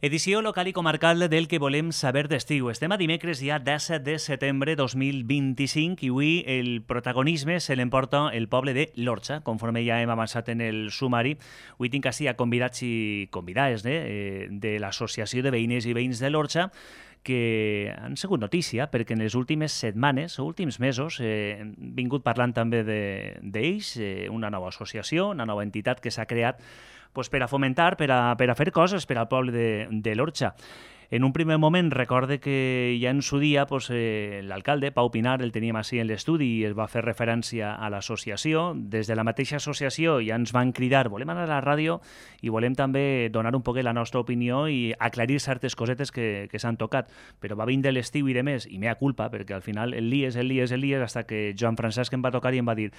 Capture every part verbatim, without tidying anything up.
Edició local i comarcal del que volem saber d'estiu. Estem a dimecres ja disset de setembre dos mil vint-i-cinc i avui el protagonisme se l'emporta el poble de l'Orxa, conforme ja hem avançat en el sumari. Avui tinc així a convidats i convidades eh, de l'Associació de Veïnes i Veïns de l'Orxa, que han sigut notícia perquè en les últimes setmanes o últims mesos eh, hem vingut parlant també d'ells, de, eh, una nova associació, una nova entitat que s'ha creat pues, per a fomentar, per a, per a fer coses per al poble de, de l'Orxa. En un primer moment recorde que ja en su dia pues, eh, l'alcalde, Pau Pinar, el teníem així en l'estudi i es va fer referència a l'associació. Des de la mateixa associació ja ens van cridar, volem anar a la ràdio i volem també donar un poc la nostra opinió i aclarir certes cosetes que, que s'han tocat. Però va vindre l'estiu i de més, i mea culpa, perquè al final el lies, el lies, el lies, hasta que Joan Francesc em va tocar i em va dir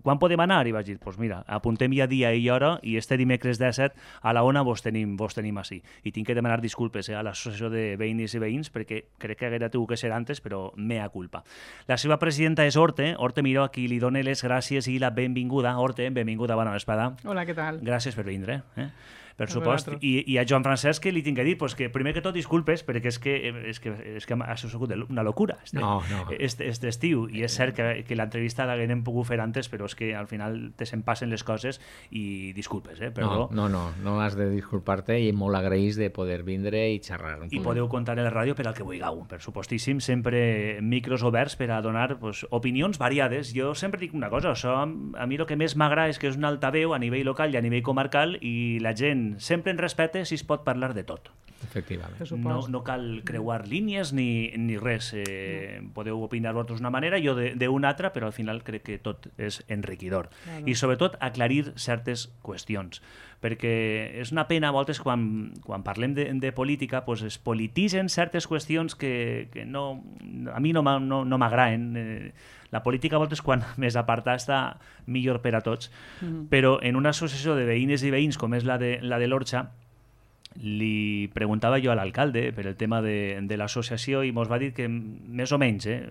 quan podem anar? I vaig dir, pues mira, apuntem ja dia i hora i este dimecres disset a la ona vos tenim, vos tenim així. I tinc que demanar disculpes eh, a l'associació de veïnes i veïns, perquè crec que haguera tingut que ser antes, però mea culpa. La seva presidenta és Horte, Horte Miró, a qui li dona les gràcies i la benvinguda. Horte, benvinguda, bona vesprada. Hola, què tal? Gràcies per vindre. Eh? Per supost. I, I a Joan Francesc que li tinc que dir pues, que primer que tot disculpes perquè és que, és que, és que ha sigut una locura este, no, no. este, este estiu i és cert que, que l'entrevista l'haguem pogut fer antes però és que al final te se'n passen les coses i disculpes, eh? Perdó. No, no, no, no has de disculpar-te i molt agraïs de poder vindre i xerrar. I podeu comptar en la ràdio per al que vulgueu, per supostíssim, sempre micros oberts per a donar pues, opinions variades. Jo sempre dic una cosa, això a mi el que més m'agrada és que és un altaveu a nivell local i a nivell comarcal i la gent sempre en respecte si es pot parlar de tot. Efectivament. No, no cal creuar línies ni, ni res. Eh, no. Podeu opinar vosaltres d'una manera, jo d'una altra, però al final crec que tot és enriquidor. Claro. I sobretot aclarir certes qüestions. Perquè és una pena a voltes quan, quan parlem de, de política pues es polititzen certes qüestions que, que no, a mi no, no, no m'agraden. Eh, la política a voltes quan més apartada està millor per a tots, mm-hmm. però en una associació de veïnes i veïns com és la de, la de l'Orxa li preguntava jo a l'alcalde per el tema de, de l'associació i mos va dir que més o menys eh,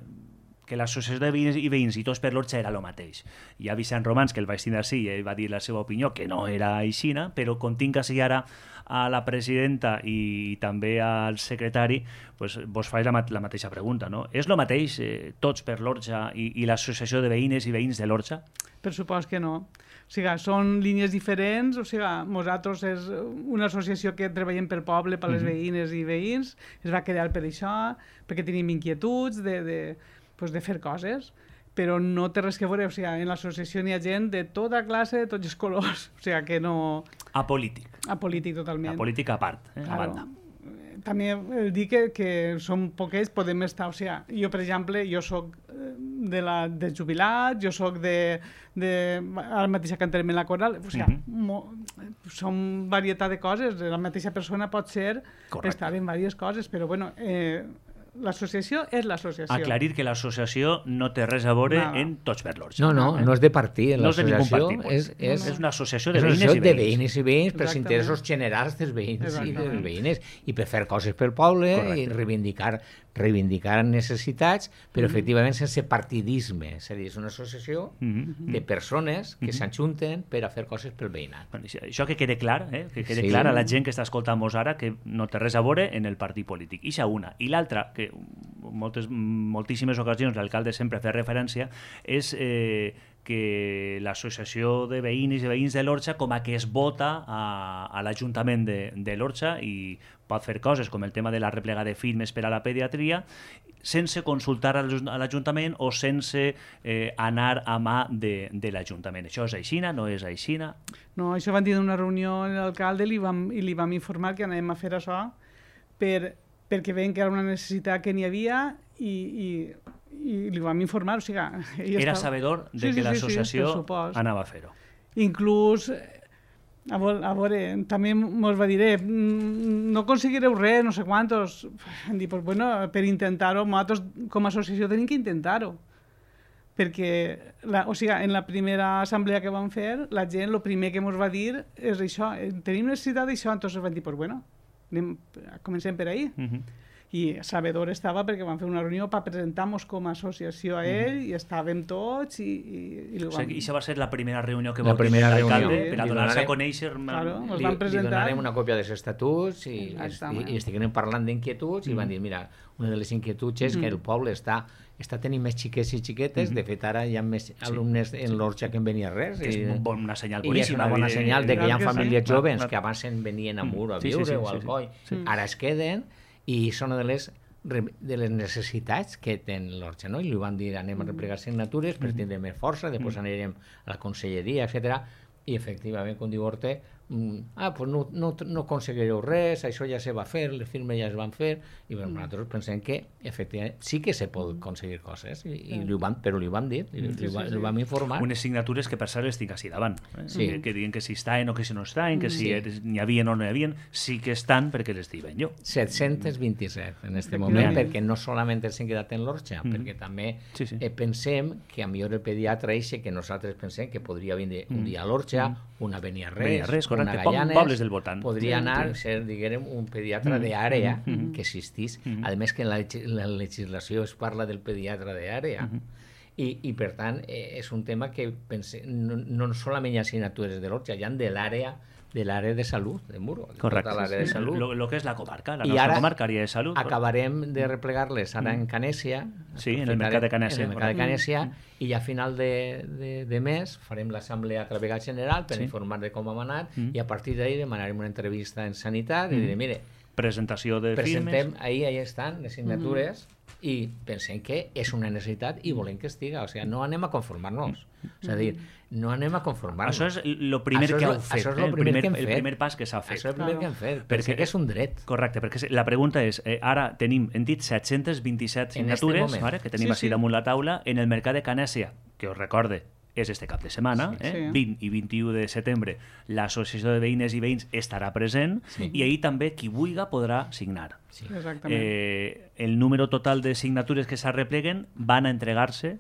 que l'associació de veïns i veïns i tots per l'Orxa era el mateix. Hi ha Vicent Romans, que el vaig tindre així, i ell va dir la seva opinió, que no era aixina, però com tinc així ara a la presidenta i també al secretari, pues, vos faig la, la mateixa pregunta. No? És el mateix eh, tots per l'Orxa i, i l'associació de veïnes i veïns de l'Orxa? Per supost que no. O sigui, són línies diferents, o sigui, nosaltres és una associació que treballem pel poble, per les mm-hmm. veïnes i veïns, es va crear per això, perquè tenim inquietuds de... de pues de fer coses, però no té res que veure, o sigui, en l'associació n'hi ha gent de tota classe, de tots els colors, o sigui que no... Apolític. Apolític totalment. Apolític a part, eh? Claro. A banda. També el dir que, que som poquets, podem estar, o sigui, jo per exemple, jo soc de la, de jubilat, jo soc de, de ara mateix cantem en la coral, o sigui, mm-hmm. mo, som varietat de coses, la mateixa persona pot ser, Correcte. Estar en diverses coses, però bueno... Eh, l'associació és l'associació. Aclarir que l'associació no té res a veure no. en tots per l'Orxa. No, no, no és de partit. No és de ningú partit. És, és, és una associació de veïnes i veïns. de veïnes i veïns per interessos generals dels veïns i dels veïnes i per fer coses pel poble Correcte. I reivindicar reivindicar necessitats, però mm-hmm. efectivament sense partidisme. És a dir, és una associació mm-hmm. de persones que mm-hmm. s'ajunten per a fer coses pel veïnat. Bueno, això que quede clar, eh? que quede sí. clar a la gent que està escoltant-nos ara que no té res a veure en el partit polític. Ixa una. I l'altra, que moltes, moltíssimes ocasions l'alcalde sempre fa referència, és eh, que l'associació de veïnes i veïns de l'Orxa com a que es vota a, a l'Ajuntament de, de l'Orxa i pot fer coses com el tema de la replega de firmes per a la pediatria sense consultar a l'Ajuntament o sense eh, anar a mà de, de l'Ajuntament. Això és aixina? No és aixina? No, això van dir en una reunió amb l'alcalde i li vam, i li vam informar que anàvem a fer això per, perquè veiem que era una necessitat que n'hi havia i, i, i li vam informar. O sigui, era estava... sabedor de sí, que sí, l'associació sí, sí, anava a fer-ho. Inclús... A veure, a veure, també ens va dir, eh, no aconseguireu res, no sé quantos. Hem dit, pues, bueno, per intentar-ho, nosaltres com a associació tenim que intentar-ho. Perquè, la, o sigui, en la primera assemblea que vam fer, la gent, el primer que ens va dir és això, tenim necessitat d'això, entonces van dir, pues bueno, anem, comencem per ahí. Uh-huh. i sabedor estava perquè vam fer una reunió per presentar-nos com a associació a ell i estàvem tots i, i, i o sigui, això va ser la primera reunió que la va primera tenir reunió l'alcalde sí. per a donar-se a conèixer claro, li, li donarem una còpia dels estatuts i, i, i estiguem parlant d'inquietuds mm. i van dir, mira, una de les inquietuds és mm. que el poble està, està tenint més xiquets i xiquetes, mm. de fet ara hi ha més sí. alumnes en l'Orxa que en venia res que és i, una senyal i és una bona senyal de que hi ha famílies sí. joves clar, clar. que abans en venien a Muro a sí, viure sí, sí, o al sí, Coi, sí. ara es queden i són de les de les necessitats que té l'Orxa, no? I li van dir anem a replegar signatures per tindre més força, després anirem a la conselleria, etcètera. I efectivament, com diu Orte, ah, pues no, no, no aconseguireu res, això ja se va fer, les firmes ja es van fer, i bueno, nosaltres pensem que efectivament sí que se pot aconseguir coses, i, i li van, però li vam dir, li, li, sí, sí, li vam informar. Unes signatures que per cert les tinc així davant, eh? sí. que, que diuen que si estan o que si no estan, que si sí. n'hi havia o no n'hi havia, sí que estan perquè les diuen jo. set-cents vint-i-set en aquest moment, mm. perquè no solament ens hem quedat en l'Orxa, mm. perquè també sí, sí. Eh, pensem que a millor el pediatre eixe que nosaltres pensem que podria vindre un dia a l'Orxa, mm. una Beniarrés, una Gallanes, del voltant. Podria sí, anar a sí. ser, diguem, un pediatre mm. d'àrea mm -hmm. que existís. Mm -hmm. A més que en la, la legislació es parla del pediatre d'àrea. Mm -hmm. I, I, per tant, eh, és un tema que pense, no, no solament hi ha assignatures de l'Orxa, hi ha de l'àrea de l'àrea de salut de Muro. Correcte. Tota l'àrea de salut. Lo, lo que és la comarca, la I nostra comarca, àrea de salut. Acabarem de replegar-les ara en Canèsia. Sí, en el mercat de Canèsia. En el mercat de Canèsia, mm. i a final de, de, de mes farem l'assemblea a través general per sí. informar de com hem anat mm. i a partir d'ahir demanarem una entrevista en Sanitat mm. i diré, mire, presentació de presentem, firmes. ahir, ahir estan les signatures mm. i pensem que és una necessitat i volem que estiga, o sigui, no anem a conformar-nos. És a dir, no anem a conformar-nos. Això és el primer això que és, heu fet, això és eh? el, primer primer, que hem el fet. primer pas que s'ha fet. Això és el primer claro. que hem fet, perquè, perquè és un dret. Correcte, perquè la pregunta és, eh, ara tenim, hem dit set-cents vint-i-set signatures, este vale, que tenim sí, així sí. damunt la taula, en el mercat de Canèsia, que us recorde, és este cap de setmana, sí, eh? sí. vint i vint-i-u de setembre, l'associació de veïnes i veïns estarà present sí. i ahir també qui vulgui podrà signar. Sí. Exactament. Eh, el número total de signatures que s'arrepleguen van a entregar-se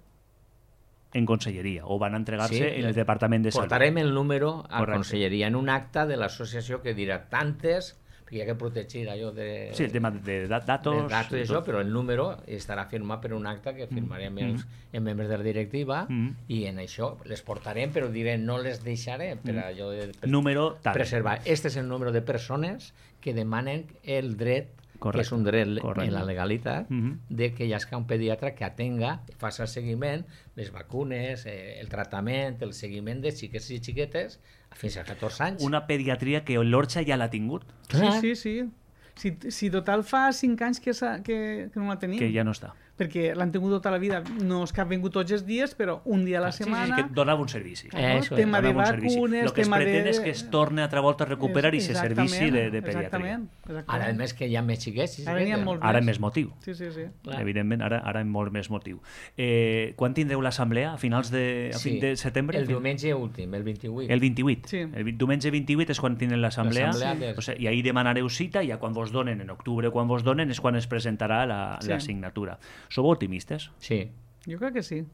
en conselleria o van a entregar-se sí, en el Departament de Salut. Portarem el número a Correcte. conselleria en un acte de l'associació que dirà tantes, perquè hi ha que protegir allò de... Sí, el tema de datos... De datos i això, però el número estarà firmat per un acte que firmarem mm. els, els membres de la directiva mm. i en això les portarem, però diré, no les deixaré per allò de per, número tal. preservar. Este és el número de persones que demanen el dret Correcte. que és un dret Correcte. en la legalitat, mm -hmm. de que hi hagi un pediatre que atenga, faci el seguiment, les vacunes, eh, el tractament, el seguiment de xiquets i xiquetes fins a catorze anys. Una pediatria que l'Orxa ja l'ha tingut. Sí, sí, sí. Si, si total fa cinc anys que, que, que no la tenim. Que ja no està. Perquè l'han tingut tota la vida, no és que ha vingut tots els dies, però un dia a la setmana... Sí, sí, que donava un servici. Eh, no? Tema de vacunes, el que es tema pretén de... és que es torni altra volta a recuperar i se servici de, de pediatria. Exactament, exactament. Ara, a més, que hi ha més xiquets. Ara n'hi ha molts Ara més. més motiu. Sí, sí, sí. Clar. Evidentment, ara, ara amb molt més motiu. Eh, quan tindreu l'assemblea? A finals de, a sí, fin de setembre? El diumenge últim, el vint-i-vuit. El vint-i-vuit. Sí. El diumenge vint-i-vuit és quan tindrem l'assemblea. Sí. O sigui, i ahir demanareu cita i ja quan vos donen, en octubre quan vos donen, és quan es presentarà la, sí. la signatura. Sou optimistes? Sí. Jo crec que sí.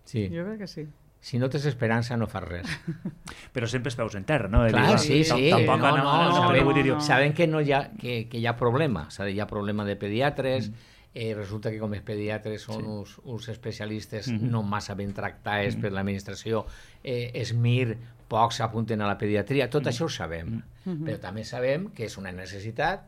Sí. Jo crec que sí. Si no tens esperança, no fas res. Però sempre es peus en terra, no? Clar, sí, sí. Tampoc no, no, no, no, sabem, vull dir, no. sabem que, no hi ha, que, que hi ha problema. Hi ha problema de pediatres, mm. eh, resulta que com els pediatres són sí. uns, uns especialistes mm -hmm. no massa ben tractats mm -hmm. per l'administració, eh, es mir, pocs s'apunten a la pediatria, tot mm -hmm. això ho sabem. Mm -hmm. Però també sabem que és una necessitat,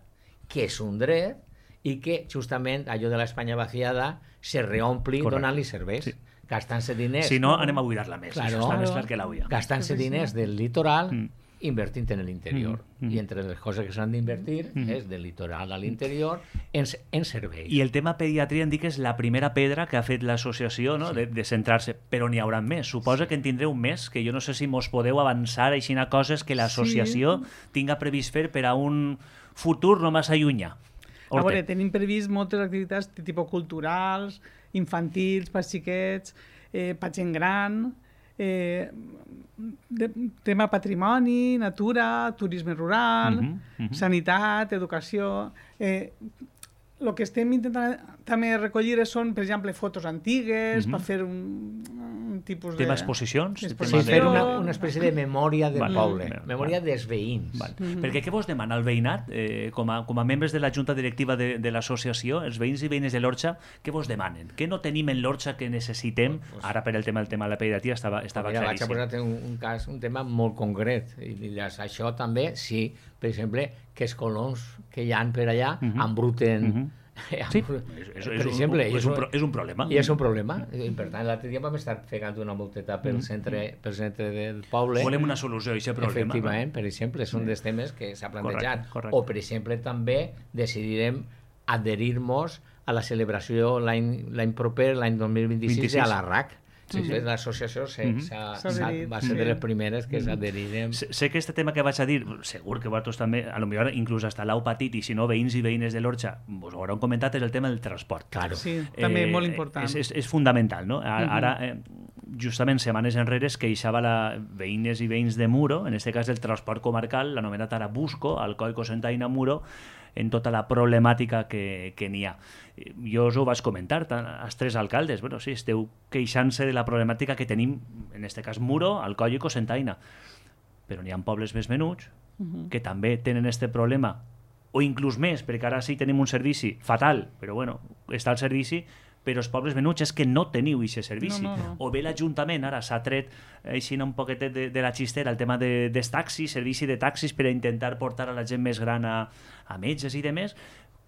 que és un dret, i que justament allò de l'Espanya vaciada se reompli donant-li serveis. Sí. Gastant-se diners... Si no, anem a buidar-la més. Claro, Això està més clar que l'auia. Gastant-se diners del litoral, mm. invertint en l'interior. Mm. Mm. I entre les coses que s'han d'invertir mm. és del litoral a l'interior en, en serveis. I el tema pediatria em dic que és la primera pedra que ha fet l'associació, no? sí. de, de centrar-se, però n'hi haurà més. Suposa sí. que en tindreu més, que jo no sé si mos podeu avançar així a coses que l'associació sí. tinga previst fer per a un futur no massa llunyà. A veure, tenim previst moltes activitats de tipus culturals, infantils, per xiquets, eh, per gent gran, eh, de, tema patrimoni, natura, turisme rural, uh -huh, uh -huh. sanitat, educació... Eh, el que estem intentant també recollir són, per exemple, fotos antigues, uh -huh. per fer un, un tipus de... Tema exposicions? Exposició. Sí, fer una, una espècie de memòria del Vale, poble, vale, memòria vale. dels veïns. Vale. Mm-hmm. Perquè què vos demana el veïnat, eh, com, a, com a membres de la junta directiva de, de l'associació, els veïns i veïnes de l'Orxa, què vos demanen? Què no tenim en l'Orxa que necessitem? Ara per el tema del tema de la pediatria estava, estava Mira, vaig a claríssim. posar un, un cas, un tema molt concret. I diràs, això també, sí, per exemple, que els colons que hi ha per allà Mm-hmm. embruten... Mm-hmm. Sí, és, és, per és, exemple, un, és, un, pro- és un problema. I és un problema. I per tant, l'altre dia vam estar pegant una volteta pel centre, pel centre del poble. Volem una solució a aquest problema. Efectivament, per exemple, és un dels temes que s'ha plantejat. Correcte, correcte. O, per exemple, també decidirem adherir-nos a la celebració l'any l'any proper, l'any dos mil vint-i-sis, vint-i-sis. a la R A C. Sí, sí. L'associació se- Mhm. s'ha- S'ha s'ha- adherit, va ser sí. de les primeres que s'adherirem. Sé, sé que este tema que vaig a dir, segur que vosaltres també, a lo millor inclús hasta l'heu patit, i si no, veïns i veïnes de l'Orxa, vos ho hauran comentat, és el tema del transport. Claro. Sí, també molt important. És, és, és fundamental, no? Ara, ara eh, justament setmanes enrere es queixava la veïnes i veïns de Muro, en este cas del transport comarcal, l'anomenat ara Busco, Alcoi, Cocentaina, Muro, en tota la problemàtica que, que n'hi ha. Jo us ho vaig comentar, tant, els tres alcaldes, bueno, sí, esteu queixant-se de la problemàtica que tenim, en este cas Muro, Alcoi i Cocentaina, però n'hi ha pobles més menuts Uh-huh. que també tenen este problema, o inclús més, perquè ara sí tenim un servici fatal, però bueno, està el servici, però els pobles menuts és que no teniu aquest servici. No, no, no. O bé l'Ajuntament ara s'ha tret així un poquetet de, de la xistera el tema de, dels taxis, servici de taxis per a intentar portar a la gent més gran a, a metges i demés.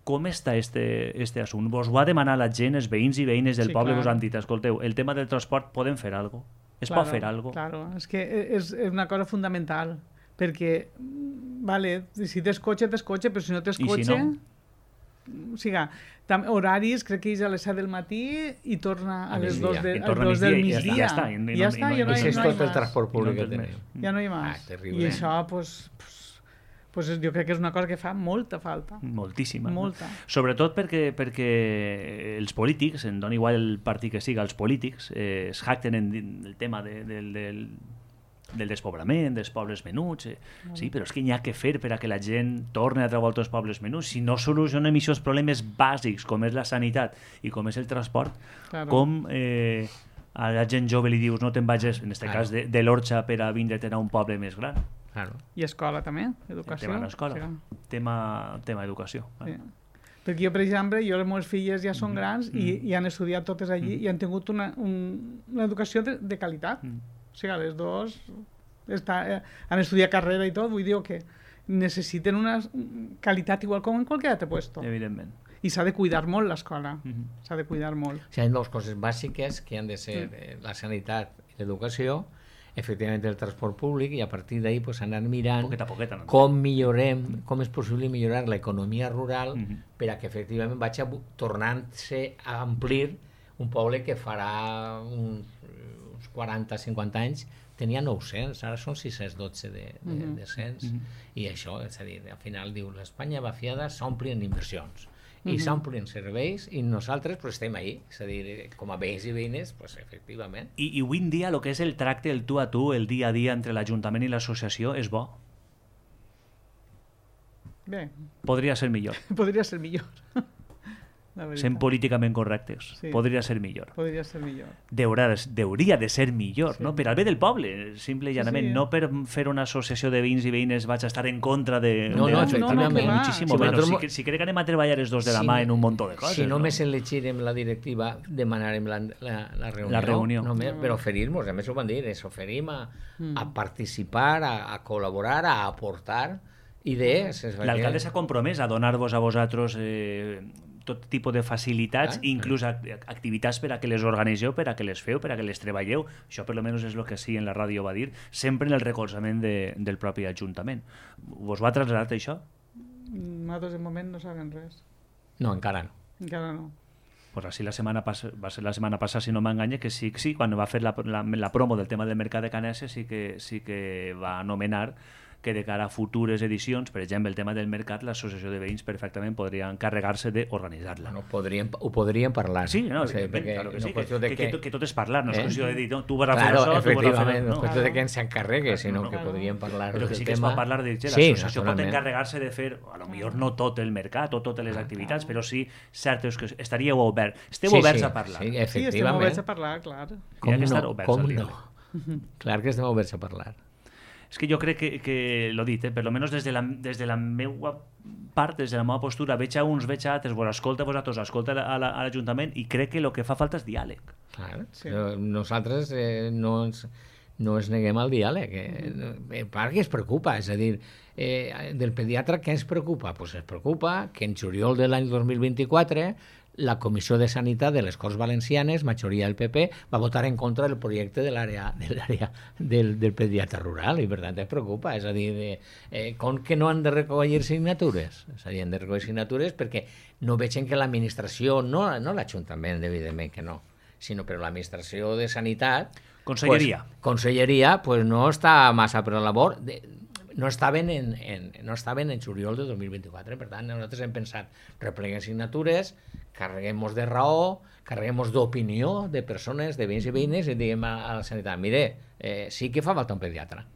Com està este, este assumpte? Vos ho ha demanat la gent, els veïns i veïnes del Sí, poble, clar. vos han dit, escolteu, el tema del transport podem fer alguna cosa? Es pot fer alguna cosa? Claro, és que és, és una cosa fundamental, perquè, mm, vale, si tens cotxe, tens cotxe, però si no tens I si cotxe... no? O sigui, tam, horaris, crec que és a les set del matí i torna a, A les migdia. dos, de, I a torna a les dos del migdia i migdia. ja està, i no- i ja no- està, i no- ja no, I hi- això és no hi tot el más. transport públic I no que tens tenim. més. Ja no hi ha Ah, més. terrible. I això, pues, pues, pues jo crec que és una cosa que fa molta falta. Moltíssima. no? Molta. Sobretot perquè, perquè els polítics, en dona igual el partit que siga, els polítics eh, es jacten en el tema de, del, del, del despoblament, dels pobles menuts. Eh. Sí, però és que n'hi ha que fer per a que la gent torni a trobar els pobles menuts. Si no solucionem aquests problemes bàsics, com és la sanitat i com és el transport, Claro. com eh, a la gent jove li dius no te'n vagis, en aquest Claro. cas, de, de l'Orxa per a vindre a un poble més gran. Claro. I escola també, El educació. tema de l'escola. Sí. Tema, tema educació. Sí. Perquè jo, per exemple, jo les meves filles ja són grans i, i han estudiat totes allí i han tingut una, un, una educació de, de qualitat. Mm. O sigui, les dos està, eh, han estudiat carrera i tot, vull dir que necessiten una qualitat igual com en qualsevol altre puesto. Evidentment. I s'ha de cuidar molt l'escola, Mhm. s'ha de cuidar molt. O sigui, hi ha dues coses bàsiques que han de ser eh, la sanitat i l'educació, efectivament el transport públic, i a partir d'ahí pues, anar mirant Poquet a poquet. No? com millorem, com és possible millorar l'economia rural Mhm. per a que efectivament vagi a bu- tornant-se a amplir un poble que farà uns, uns quaranta cinquanta anys tenia nou-cents, ara són sis-cents dotze de, de, Mhm. de cents, Mhm. i això, és a dir, al final diu l'Espanya vaciada s'omplien inversions i Mhm. s'omplien serveis i nosaltres pues, estem ahí, és a dir, com a veïns i veïnes, pues, efectivament. I, I avui en dia el que és el tracte, el tu a tu, el dia a dia entre l'Ajuntament i l'associació és bo. Bé, Podria ser millor. podria ser millor. La veritat. Sent políticament correctes. Sí. Podria ser millor. Podria ser millor. Deurà, de- deuria de ser millor, Sí. no? Per al bé del poble, simple i Sí, llanament. sí. No per fer una associació de veïns i veïnes vaig a estar en contra de... No, de no, l'Ajuntament. efectivament. que va. Muchísimo Si menos. nosaltres- Si, si crec que anem a treballar els dos de la Si- mà en un munt de coses. Si no? només elegirem la directiva, demanarem la, la, la reunió. La reunió. Només, per oferir-nos, a més ho van dir, ens oferim a, Mm. a participar, a, a col·laborar, a aportar idees. És L'alcalde perquè- s'ha compromès a donar-vos a vosaltres eh, tot tipus de facilitats, Ah, inclús act- activitats per a que les organitzeu, per a que les feu, per a que les treballeu. Això per almenys és el que sí en la ràdio va dir, sempre en el recolzament de, del propi Ajuntament. Vos va traslladar això? Nosaltres de moment no sabem res. No, encara no. Encara no. Pues así la semana pas va ser la setmana passada, si no m'enganya, que sí, sí, quan va fer la, la, la promo del tema del mercat de Canessa sí que, sí que va anomenar que de cara a futures edicions, per exemple, el tema del mercat, l'associació de veïns perfectament podria encarregar-se d'organitzar-la. Bueno, podríem, ho podríem parlar. Sí, no, o sigui, perquè claro que no sí, que, que, que, que, que tot és parlar, no és eh? qüestió de dir, no, tu vas a fer claro, això, tu vas a fer... efectivament, no és qüestió no? de que ens s'encarregue, sinó no, que no. podríem parlar Però que del sí que es tema. pot parlar de que Sí, l'associació pot naturalment. encarregar-se de fer, a lo millor no tot el mercat o totes les activitats, però sí certes que estaríeu oberts. Esteu Sí, oberts sí, a parlar. sí, Sí, estem efectivament. oberts a parlar, clar. Com Hi ha que estar no, oberts com al no. diàleg. Clar que estem oberts a parlar. És que jo crec que, que l'ho dit, eh, per almenys des de la, des de la meva part, des de la meva postura, veig a uns, veig a altres, vos escolta a vosaltres, escolta a la- a l'Ajuntament i crec que el que fa falta és diàleg. Clar, Sí. però nosaltres eh, no, ens, no ens neguem al diàleg. Eh, eh, part que es preocupa, és a dir, eh, del pediatre què ens preocupa? Pues es preocupa que en juliol de l'any dos mil vint-i-quatre la Comissió de Sanitat de les Corts Valencianes, majoria del P P, va votar en contra del projecte de l'àrea de l'àrea del, del pediatre rural i per tant es preocupa, és a dir, de, eh, com que no han de recollir signatures? És a dir, han de recollir signatures perquè no vegin que l'administració, no, no l'Ajuntament, evidentment que no, sinó però l'administració de Sanitat, Conselleria. Pues, conselleria, pues no està massa per la labor, de, no estaven en, en, no estaven en juliol de dos mil vint-i-quatre, per tant nosaltres hem pensat repleguem signatures, carreguem-nos de raó, carreguem-nos d'opinió de persones, de veïns i veïnes i diguem a, a la sanitat, mire, eh, sí que fa falta un pediatre.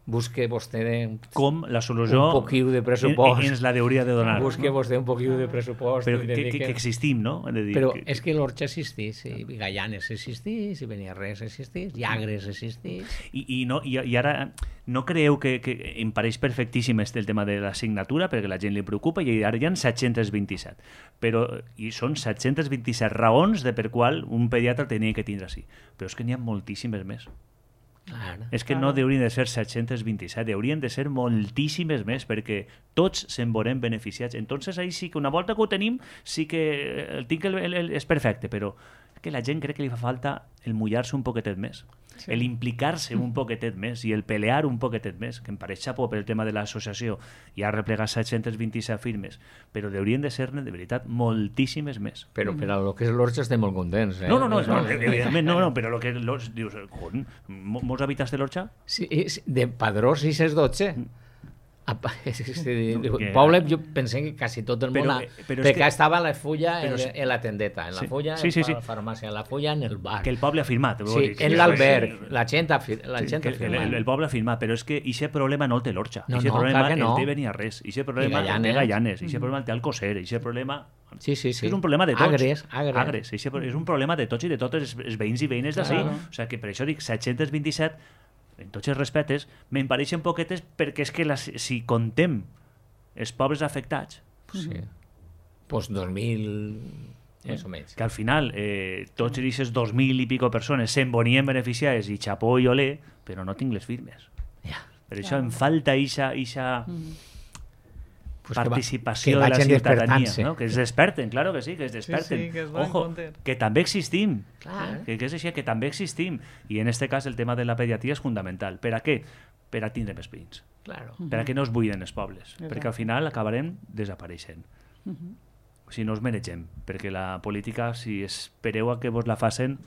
Busque vostè un, Com la solució un poquiu de pressupost. ens la hauria de donar. Busque vostè un poquiu de pressupost. Però i que, que, dedique- que existim, no? He de dir, Però que, és que l'Orxa existís, i Gallanes existís, i Beniarrés existís, Llagres existís... I, i, no, i, i ara no creieu que, que em pareix perfectíssim este el tema de la signatura perquè la gent li preocupa i ara hi ha set-cents vint-i-set però i són set-cents vint-i-set raons de per qual un pediatre tenia que tindre així, però és que n'hi ha moltíssimes més. Clar. És que no haurien de ser set-cents vint-i-set, haurien de ser moltíssimes més perquè tots se'n veurem beneficiats. Entonces ahí sí que una volta que ho tenim sí que el tinc el, el, el, és perfecte, però que la gent crec que li fa falta el mullar-se un poquetet més, sí. el implicar-se un poquetet més i el pelear un poquetet més, que em pareix xapó per el tema de l'associació i ha replegat set-cents vint-i-set firmes, però haurien de ser-ne de veritat moltíssimes més. Però per a lo que és l'Orxa estem molt contents. Eh? No, no, no, no, evidentment no, no, però lo que l'Orxa, dius, con, molts habitants de l'Orxa? Sí, és de Padró sis cents dotze. Apa, és que, No, que- poble, jo pensé que quasi tot el Però, món... eh, però és perquè que- estava la fulla en, però és- en la tendeta, en la Sí. fulla, Sí, sí, en sí. la farmàcia, en la fulla, en el bar. Que el poble ha firmat. vull Sí, dir, en que- l'alberg, la gent ha, fir la Sí, gent que ha el, firmat. el, el poble ha firmat, però és que aquest problema no el té l'Orxa. No, Aquest no, problema clar que no. el té Beniarrés, aquest problema el té Gallanes. Gallanes, aquest problema el té Alcocer, aquest problema... Sí, sí, sí. És un problema de tots. Agres, agres. Agres. Eixe pro- és un problema de tots i de totes els, els veïns i veïnes d'ací. Claro. O sigui que per això dic set-cents vint-i-set, en tots els respetes, me'n pareixen poquetes perquè és que les, si contem els pobres afectats, Sí. Pues dos mil, més o menys. que al final eh, tots aquests dos mil i pico persones se'n venien beneficiades i xapó i olé, però no tinc les firmes. Ja. Per això em falta eixa, eixa Pues que va- participació que de la vagin ciutadania, despertant-se. no? Que es desperten, claro que sí, que es desperten. sí, que es donen Ojo, compte. que també existim. Clar. Que, que és així, que també existim. I en este cas el tema de la pediatria és fundamental. Per a què? Per a tindre més veïns. Claro. Per a que no es buiden els pobles. Exacte. Perquè al final acabarem desapareixent. Si no us menegem. Perquè la política, si espereu a que vos la facin,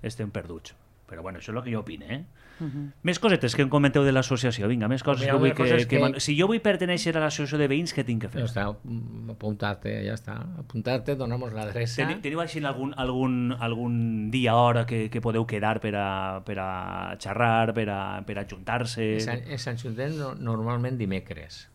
estem perduts. Però bueno, això és el que jo opine, eh? Uh -huh. Més cosetes que em comenteu de l'associació. Vinga, més coses Mira, que vull una cosa que, és que... que- man- Si jo vull pertenèixer a l'associació de veïns, què tinc que fer? Ja està, mm, apuntarte, ja està. Apuntarte, donamos l'adreça. Teni- Teniu així algun, algun, algun dia, hora que, que podeu quedar per a, per a xerrar, per a, per a juntar-se? En Sant, en Sant Juntén no, normalment dimecres.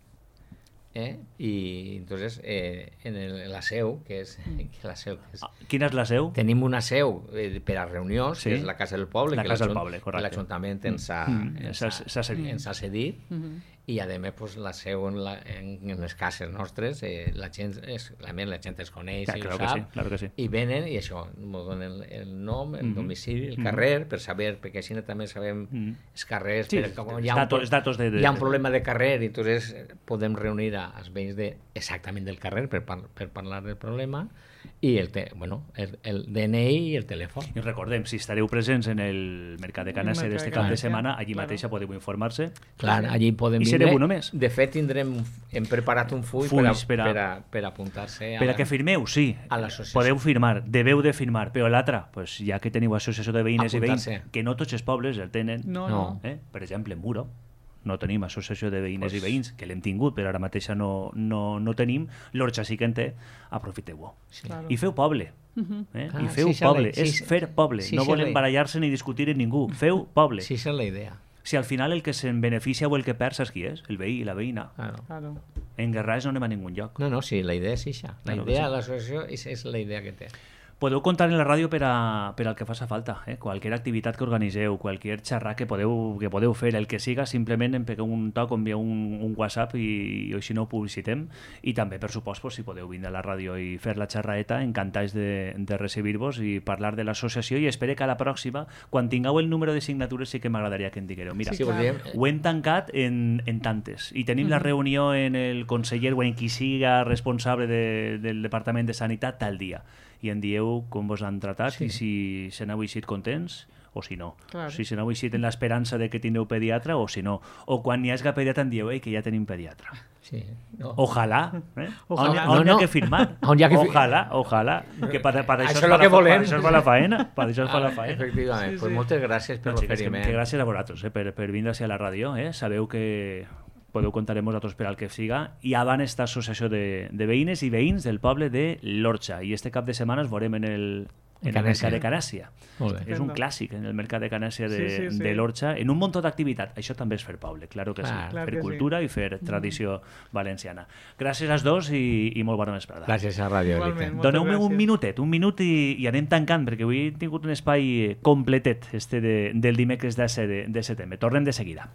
¿eh? Y entonces eh, en, el, en la seu, que és, que la seu que és, Ah, quina és la seu? tenim una seu eh, per a reunions, Sí. que és la Casa del Poble, La que Casa del l'Ajunt- Poble, que correcte. l'Ajuntament ens ha, Mm, ens s'ha- ha- s'ha cedit. ens ha cedit, Mhm. i a més pues, la seu en, la, en, en les cases nostres, eh, la gent és, la, la gent es coneix Ja, i claro ho que sap, sí, claro que sí. i venen i això, ens donen el, el nom, el Mhm. domicili, el Mhm. carrer, per saber, perquè així també sabem Mhm. els carrers, Sí, per, com hi ha, datos- un, pro- datos de- de- hi ha un problema de carrer i entonces eh, podem reunir a, als veïns de, exactament del carrer per, par, per parlar del problema i el, te, bueno, el, el D N I i el telèfon. I recordem, si estareu presents en el Mercat de Canassa El Mercat d'este de cap de Canassa, setmana, allí claro. mateixa podeu informar-se. Clar, allí podem I vindre. sereu uno més. De fet, tindrem, hem preparat un full Fulls per, a, per a- per, a, per apuntar-se a, Per a que firmeu, sí. a l'associació. Podeu firmar, deveu de firmar, però l'altre, pues, ja que teniu associació de veïnes i veïns, Apuntar-se. que no tots els pobles el tenen, No, No. no. eh? per exemple, Muro, no tenim associació de veïnes pues... i veïns, que l'hem tingut, però ara mateix no, no, no tenim, l'Orxa sí que en té, aprofiteu-ho. Sí. Claro. I feu poble. Uh-huh. eh? ah, I feu sí, poble, sí, és sí, fer poble, sí, no sí, volem barallar-se ni discutir amb ningú, feu poble. Sí, esa és la idea. Si al final el que se'n beneficia o el que perd, saps qui és? El veí i la veïna. Claro. Claro. En Guerràs no anem a ningun lloc. No, no, sí, la idea és això. La claro idea de sí. l'associació és, és la idea que té. Podeu comptar en la ràdio per, a, per al que faça falta. Eh? Qualsevol activitat que organiseu, qualsevol xerrar que podeu, que podeu fer, el que siga, simplement em pegueu un toc, envieu un, un WhatsApp i, i així no ho publicitem. I també, per supost, pues, si podeu vindre a la ràdio i fer la xerraeta, encantats de, de recibir-vos i parlar de l'associació, i espero que a la pròxima, quan tingueu el número de signatures, sí que m'agradaria que em digueu. Mira, sí, ho hem tancat en, en tantes. I tenim mm-hmm. la reunió en el conseller o en qui siga responsable de, del Departament de Sanitat tal dia. I en dieu com vos han tratat sí. i si se n'heu eixit contents o si no. Claro. Si se n'heu eixit en l'esperança de que tindreu pediatre o si no. O quan n'hi hagi pediatre en dieu eh, que ja tenim pediatre. Sí. No. Ojalà. Eh? Ojalà. On, on no, no. hi ha que firmar. On ha que ojalà, ojalà. Que per, per això, això, és que volem. Per això es fa la faena. Per això es fa la faena. Efectivament. Sí, pues sí. Moltes gràcies per l'oferiment. Que, que gràcies a vosaltres eh, per, per vindre a la ràdio. Eh? Sabeu que podeu comptar amb nosaltres per al que siga, i avant esta associació de, de veïnes i veïns del poble de l'Orxa, i este cap de setmana es veurem en el, en el mercat de Canàcia. És un clàssic en el mercat de Canàcia de, sí, sí, sí. de l'Orxa, en un munt d'activitat. Això també és fer poble, claro que sí, ah, clar fer que cultura sí. i fer tradició mm. valenciana. Gràcies als dos i, i molt bona vesprada. Gràcies a Ràdio Elite. Doneu-me un minutet, un minut i, i anem tancant, perquè avui he tingut un espai completet este de, del dimecres de, de setembre. Tornem de seguida.